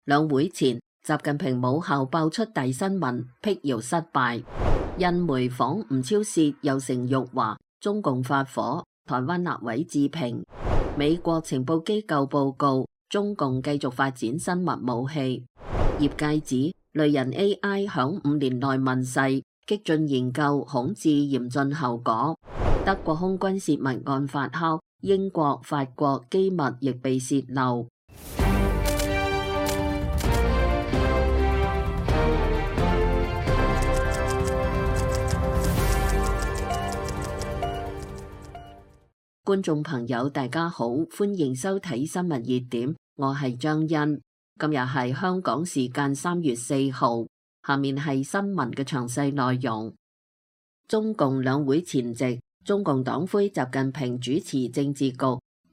兩會前，習近平母校爆出大新聞，闢謠失敗。印媒仿吳釗燮又成辱華，中共發火，台灣立委置評。美國情報機構報告，中共繼續發展生物武器。業界指雷人 AI 響5年內問世，激進研究恐致嚴峻後果。德國空軍洩密案發酵，英國、法國機密亦被洩漏。觀眾朋友大家好，歡迎收睇新聞熱點，我係張欣。今日係香港時間3月4號，下面係新聞嘅詳細內容。中共兩會前夕，中共黨魁習近平主持政治局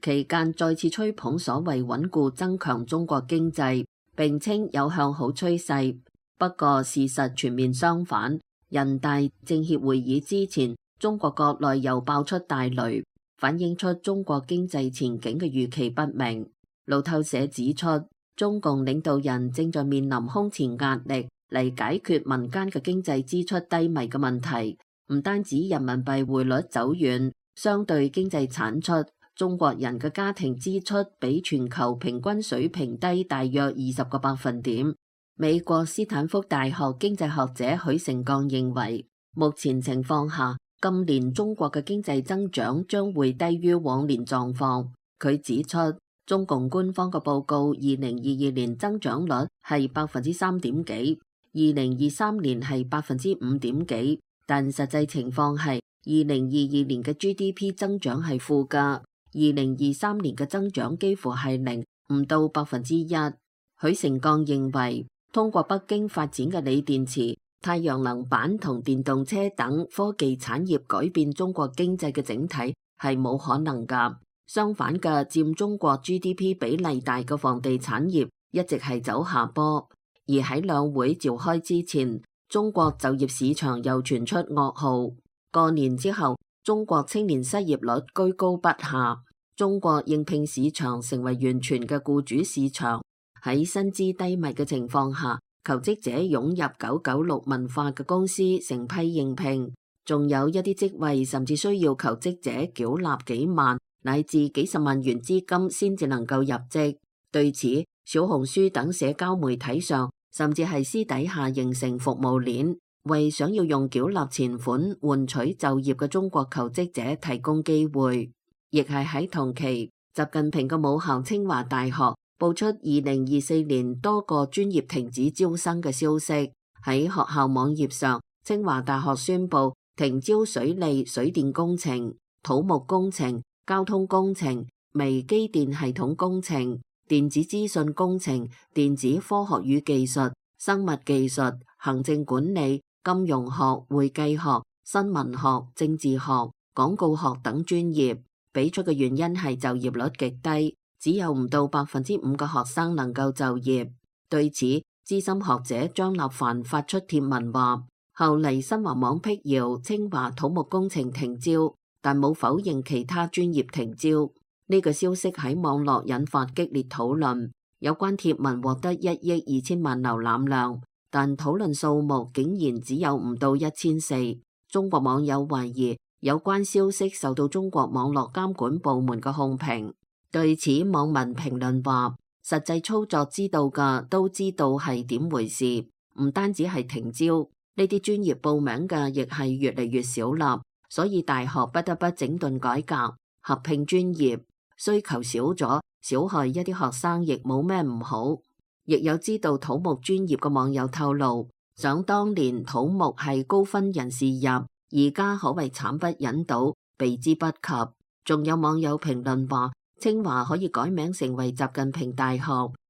期間再次吹捧所謂穩固增強中國經濟，並稱有向好趨勢。不過事實全面相反，人大政協會議之前，中國國內又爆出大雷，反映出中國經濟前景嘅預期不明。路透社指出，中共領導人正在面臨空前壓力嚟解決民間嘅經濟支出低迷嘅問題。唔單止人民幣匯率走軟，相對經濟產出，中國人嘅家庭支出比全球平均水平低大約20個百分點。美國斯坦福大學經濟學者許成鋼認為，目前情況下，今年中國嘅經濟增長將會低於往年狀況。佢指出，中共官方嘅報告2022年增長率係3.點幾，2023年係5點幾，但實際情況係2022年嘅 GDP 增長係負嘅，2023年嘅增長幾乎係0，唔到1%。許成鋼認為，通過北京發展嘅鋰電池、太陽能板同電動車等科技產業改變中國經濟嘅整體係冇可能㗎。相反嘅，佔中國 GDP 比例大嘅房地產業一直係走下坡。而喺兩會召開之前，中國就業市場又傳出噩耗。過年之後，中國青年失業率居高不下，中國應聘市場成為完全嘅僱主市場。喺薪資低迷嘅情況下，求職者湧入996文化嘅公司成批應聘，仲有一啲職位甚至需要求職者繳納幾萬乃至幾十萬元資金先至能夠入職。對此，小紅書等社交媒體上甚至係私底下形成服務鏈，為想要用繳納錢款換取就業嘅中國求職者提供機會。亦係喺同期，習近平嘅母校清華大學報出2024年多個專業停止招生嘅消息。喺學校網頁上，清華大學宣布停招水利、水電工程、土木工程、交通工程、微機電系統工程、電子資訊工程、電子科學與技術、生物技術、行政管理、金融學、會計學、新聞學、政治學、廣告學等專業。俾出嘅原因係就業率極低，只有唔到5%嘅學生能夠就業。對此，資深學者張立凡發出貼文話，後嚟新華網闢謠清華土木工程停招，但冇否認其他專業停招。呢個消息喺網絡引發激烈討論，有關貼文獲得1億2千萬瀏覽量，但討論數目竟然只有唔到1400。中國網友懷疑有關消息受到中國網絡監管部門嘅控評。對此，網民評論話，實際操作知道嘅都知道係點回事，唔單止係停招，呢啲專業報名嘅亦係越嚟越少啦，所以大學不得不整頓改革，合併專業，需求少咗，少害一啲學生亦冇咩唔好。亦有知道土木專業嘅網友透露，想當年土木係高分人士入，而家可謂慘不忍睹，避之不及。仲有網友評論話，清華可以改名成為習近平大學，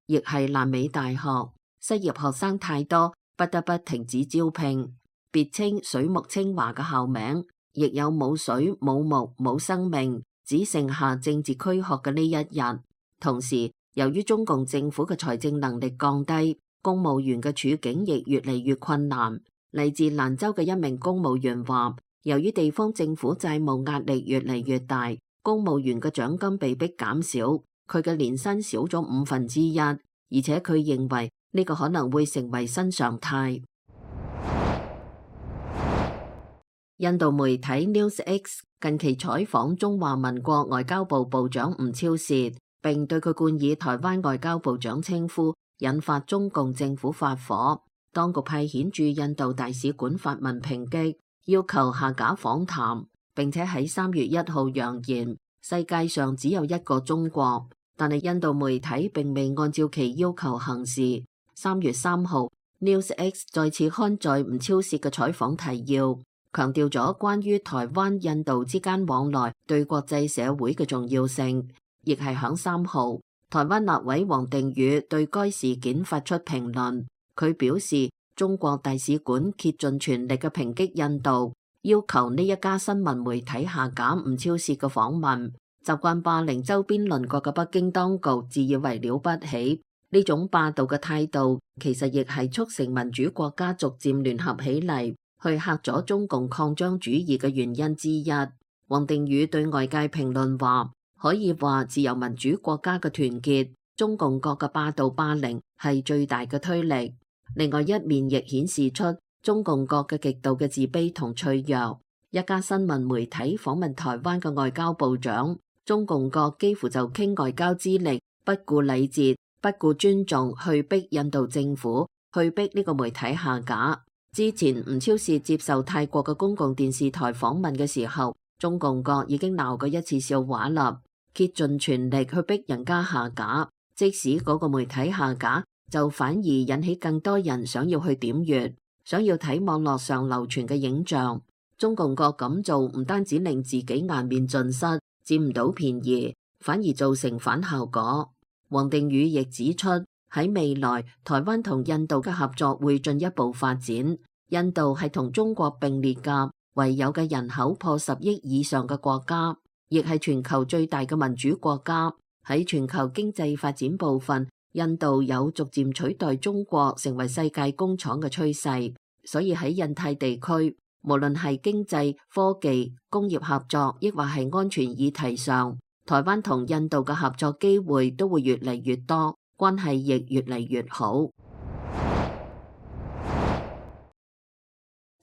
亦係爛尾大學，失業學生太多，不得不停止招聘。別稱水木清華嘅校名，亦有冇水冇木冇生命，只剩下政治軀殼嘅呢一日。同時，由於中共政府嘅財政能力降低，公務員嘅處境亦越嚟越困難。嚟自蘭州嘅一名公務員話，由於地方政府債務壓力越嚟越大，公務員嘅獎金被迫減少，佢嘅年薪少咗1/5，而且佢認為呢個可能會成為新常態。印度媒體 NewsX 近期採訪中華民國外交部部長吳釗燮，並對佢冠以台灣外交部長稱呼，引發中共政府發火。當局派遣駐印度大使館發文抨擊，要求下架訪談，並且喺3月1號揚言世界上只有一個中國。但係印度媒體並未按照其要求行事。3月3號 NewsX 再次刊載吳釗燮嘅採訪提要，強調咗關於台灣印度之間往來對國際社會嘅重要性。亦係響3號，台灣立委王定宇對該事件發出評論。佢表示，中國大使館竭盡全力嘅抨擊印度，要求呢一家新聞媒體下架吳釗燮嘅訪問。習慣霸凌周邊鄰國嘅北京當局自以為了不起，呢種霸道嘅態度其實亦係促成民主國家逐漸聯合起嚟去嚇阻中共擴張主義嘅原因之一。王定宇對外界評論話，可以話自由民主國家嘅團結，中共國嘅霸道霸凌係最大嘅推力。另外一面亦顯示出中共國嘅極度嘅自卑同脆弱。一家新聞媒體訪問台灣嘅外交部長，中共國幾乎就傾外交之力，不顧禮節，不顧尊重，去逼印度政府，去逼呢個媒體下架。之前吳釗燮接受泰國嘅公共電視台訪問嘅時候，中共國已經鬧過一次笑話啦，竭盡全力去逼人家下架。即使嗰個媒體下架，就反而引起更多人想要去點閱，想要睇網絡上流傳嘅影像。中共國咁做唔單止令自己顏面盡失，佔唔到便宜，反而造成反效果。王定宇亦指出，喺未來台灣同印度嘅合作會進一步發展。印度係同中國並列嘅唯有嘅人口破10億以上嘅國家，亦係全球最大嘅民主國家。喺全球經濟發展部分，印度有逐漸取代中國成為世界工廠嘅趨勢。所以喺印太地區，無論係經濟、科技、工業合作，抑或係安全議題上，台灣同印度嘅合作機會都會越嚟越多，關係亦越嚟越好。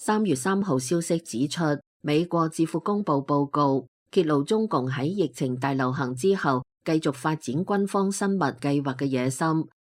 3月3號消息指出，美國智庫公布報告，揭露中共喺疫情大流行之後繼續發展軍方生物計劃嘅野心。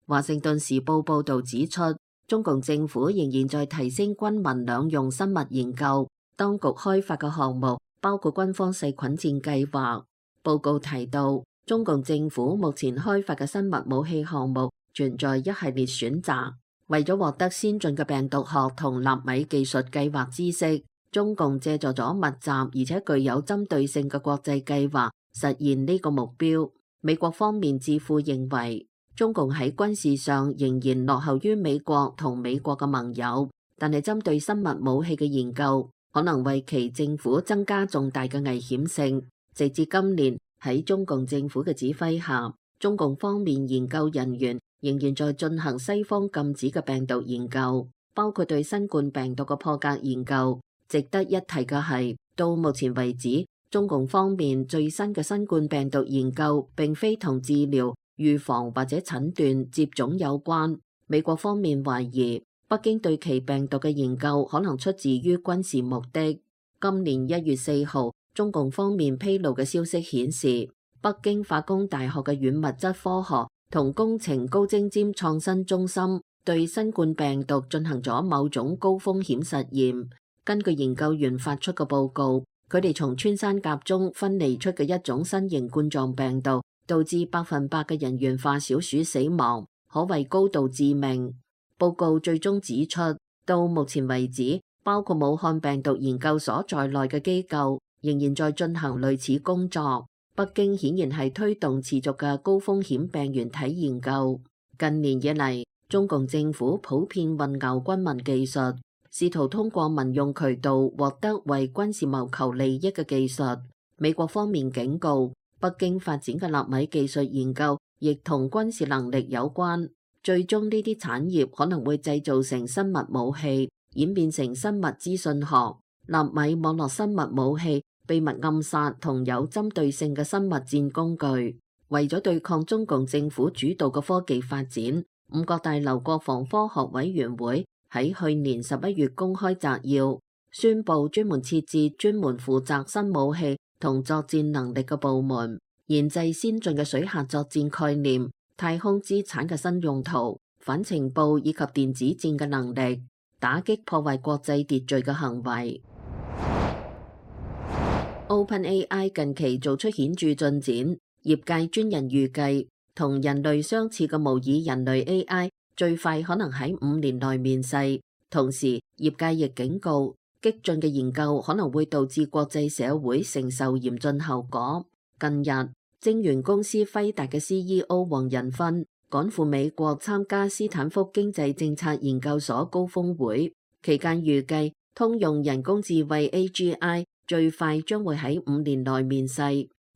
華盛頓時報報導指出，中共政府仍然在提升軍民兩用生物研究，當局開發嘅項目包括軍方細菌戰計劃。報告提到，中共政府目前開發嘅生物武器項目存在一系列選擇。為咗獲得先進嘅病毒學同納米技術計劃知識，中共借助咗密集而且具有針對性嘅國際計劃實現呢個目標。美國方面智庫認為，中共喺軍事上仍然落後於美國同美國嘅盟友，但係針對生物武器嘅研究可能為其政府增加重大嘅危險性。直至今年，喺中共政府嘅指揮下，中共方面研究人員仍然在進行西方禁止嘅病毒研究，包括對新冠病毒嘅破格研究。值得一提嘅係，到目前為止，中共方面最新嘅新冠病毒研究並非同治療、預防或者診斷、接種有關。美國方面懷疑北京對其病毒嘅研究可能出自於軍事目的。今年1月4號，中共方面披露嘅消息顯示，北京化工大學嘅軟物質科學同工程高精尖創新中心對新冠病毒進行咗某種高風險實驗。根據研究員發出嘅報告，佢哋從穿山甲中分離出嘅一種新型冠狀病毒，導致100%嘅人源化小鼠死亡，可謂高度致命。報告最終指出，到目前為止，包括武漢病毒研究所在內嘅機構仍然在進行類似工作。北京顯然係推動持續嘅高風險病原體研究。近年以嚟，中共政府普遍混淆軍民技術，試圖通過民用渠道獲得為軍事謀求利益嘅技術。美國方面警告，北京發展嘅納米技術研究亦同軍事能力有關，最終呢啲產業可能會製造成生物武器，演變成生物資訊學、納米網絡生物武器、秘密暗殺同有針對性嘅生物戰工具。為咗對抗中共政府主導嘅科技發展，五角大樓國防科學委員會喺去年11月公開摘要，宣布專門設置專門負責新武器同作戰能力嘅部門，研製先進嘅水下作戰概念、太空資產嘅新用途、反情報以及電子戰嘅能力，打擊破壞國際秩序嘅行為。OpenAI 近期做出顯著進展，業界專人預計同人類相似嘅模擬人類 AI 最快可能喺5年內面世。同時，業界亦警告，激進嘅研究可能會導致國際社會承受嚴峻後果。近日，晶圓公司輝達嘅 CEO 黃仁勳趕赴美國參加斯坦福經濟政策研究所高峰會，期間預計通用人工智慧 AGI 最快將會喺5年內面世。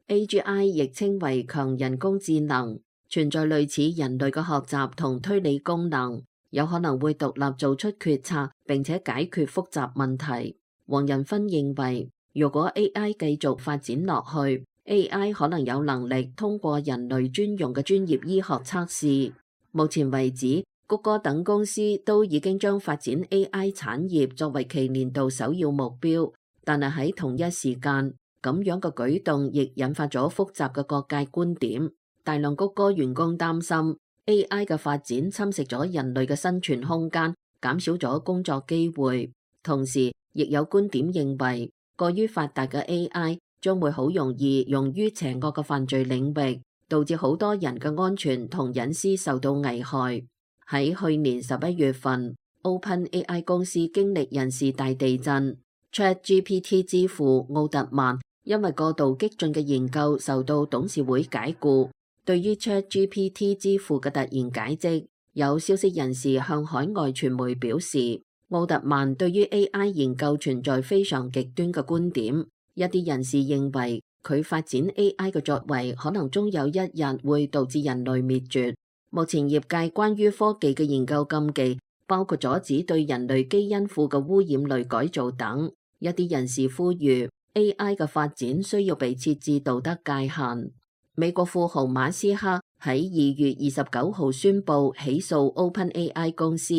AGI 亦稱為強人工智能，存在類似人類嘅學習同推理功能，有可能會獨立做出決策並且解決複雜問題。黃仁勳認為，如果 AI 繼續發展落去， AI 可能有能力通過人類專用嘅專業醫學測試。目前為止，谷歌等公司都已經將發展 AI 產業作為其年度首要目標。但係喺同一時間，咁樣嘅舉動亦引發咗複雜嘅各界觀點。大量谷歌員工擔心 AI 嘅發展侵蝕咗人類嘅生存空間，減少咗工作機會。同時，亦有觀點認為，過於發達嘅 AI 將會好容易用於邪惡嘅犯罪領域，導致好多人嘅安全同隱私受到危害。喺去年11月份，OpenAI 公司經歷人事大地震。ChatGPT 之父奧特曼因為過度激進嘅研究受到董事會解雇。對於 ChatGPT 之父嘅突然解職，有消息人士向海外傳媒表示，奧特曼對於 AI 研究存在非常極端嘅觀點。一啲人士認為佢發展 AI 嘅作為可能終有一日會導致人類滅絕。目前業界關於科技嘅研究禁忌包括阻止對人類基因庫嘅污染類改造等。一啲人士呼籲 AI 嘅發展需要被設置道德界限。美國富豪馬斯克喺2月29號宣布起訴 OpenAI 公司。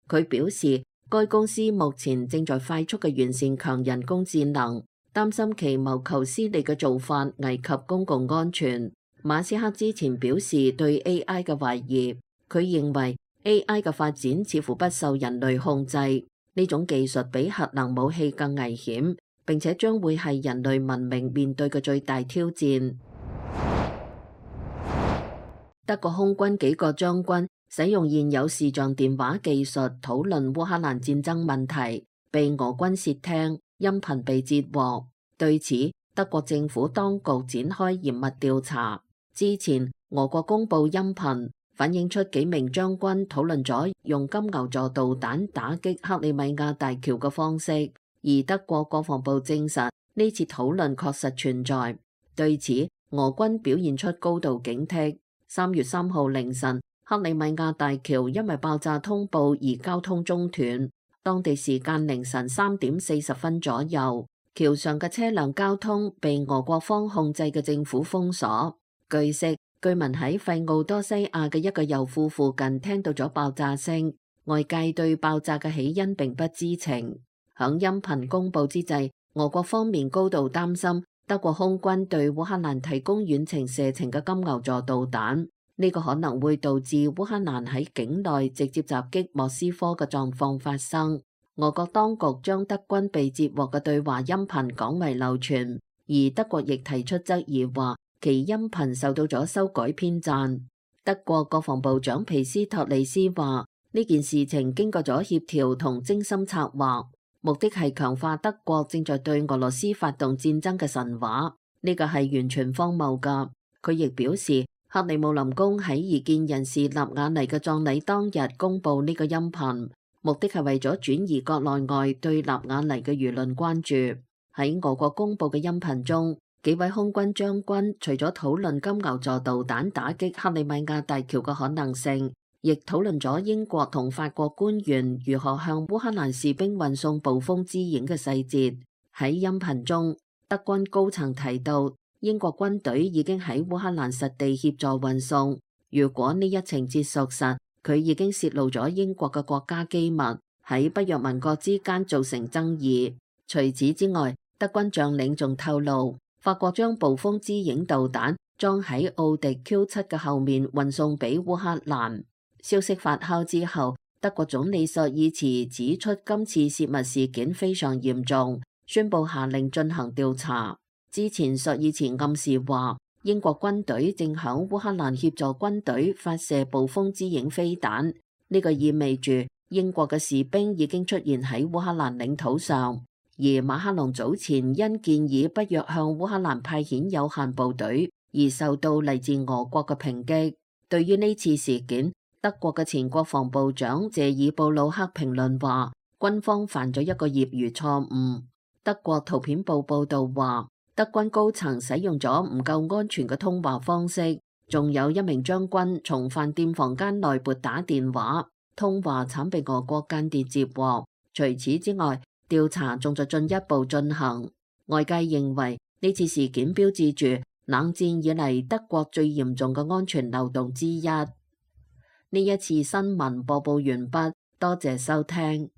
佢表示，該公司目前正在快速嘅完善強人工智能，擔心其謀求私利嘅做法危及公共安全。馬斯克之前表示對 AI 嘅懷疑，佢認為 AI 嘅發展似乎不受人類控制。呢種技術比核能武器更危險，並且將會係人類文明面對嘅最大挑戰。德國空軍幾個將軍使用現有視像電話技術討論烏克蘭戰爭問題，被俄軍竊聽，音頻被截獲。對此，德國政府當局展開嚴密調查。之前，俄國公佈音頻，反映出幾名將軍討論咗用金牛座導彈打擊克里米亞大橋嘅方式，而德國國防部證實呢次討論確實存在。對此，俄軍表現出高度警惕。3月3號凌晨，克里米亞大橋因為爆炸通報而交通中斷，當地時間凌晨3點40分左右，橋上嘅車輛交通被俄國方控制嘅政府封鎖。據悉，居民喺費奧多西亞嘅一個油庫附近聽到咗爆炸聲，外界對爆炸嘅起因並不知情。響音頻公佈之際，俄國方面高度擔心德國空軍對烏克蘭提供遠程射程嘅金牛座導彈，呢個可能會導致烏克蘭喺境內直接襲擊莫斯科嘅狀況發生。俄國當局將德軍被截獲嘅對話音頻廣為流傳，而德國亦提出質疑話，其音頻受到咗修改編撰。德國國防部長皮斯托里斯話，呢件事情經過咗協調同精心策劃，目的係強化德國正在對俄羅斯發動戰爭嘅神話。呢個係完全荒謬㗎。佢亦表示，克里姆林宮喺異見人士納瓦尼嘅葬禮當日公佈呢個音頻，目的係為咗轉移國內外對納瓦尼嘅輿論關注。喺俄國公佈嘅音頻中，幾位空軍將軍除咗討論金牛座導彈打擊克里米亞大橋嘅可能性，亦討論咗英國同法國官員如何向烏克蘭士兵運送捕風之影嘅細節。喺音頻中，德軍高層提到英國軍隊已經喺烏克蘭實地協助運送。如果呢一情節屬實，佢已經泄露咗英國嘅國家機密，喺北約盟國之間造成爭議。除此之外，德軍將領仲透露，法國將暴風之影導彈裝喺奧迪 Q7嘅後面運送俾烏克蘭。消息發酵之後，德國總理朔爾茨指出今次泄密事件非常嚴重，宣布下令進行調查。之前朔爾茨暗示話，英國軍隊正響烏克蘭協助軍隊發射暴風之影飛彈，呢個意味住英國嘅士兵已經出現喺烏克蘭領土上。而馬克龍早前因建議北約向烏克蘭派遣有限部隊而受到嚟自俄國嘅抨擊。對於呢次事件，德國嘅前國防部長謝爾布魯克評論話，軍方犯咗一個業餘錯誤。德國圖片報報道話，德軍高層使用咗唔夠安全嘅通話方式，仲有一名將軍從飯店房間內撥打電話，通話慘被俄國間諜接獲。除此之外，調查仲在進一步進行。外界認為呢次事件標誌住冷戰以嚟德國最嚴重嘅安全漏洞之一。呢一次新聞播報完畢，多謝收聽。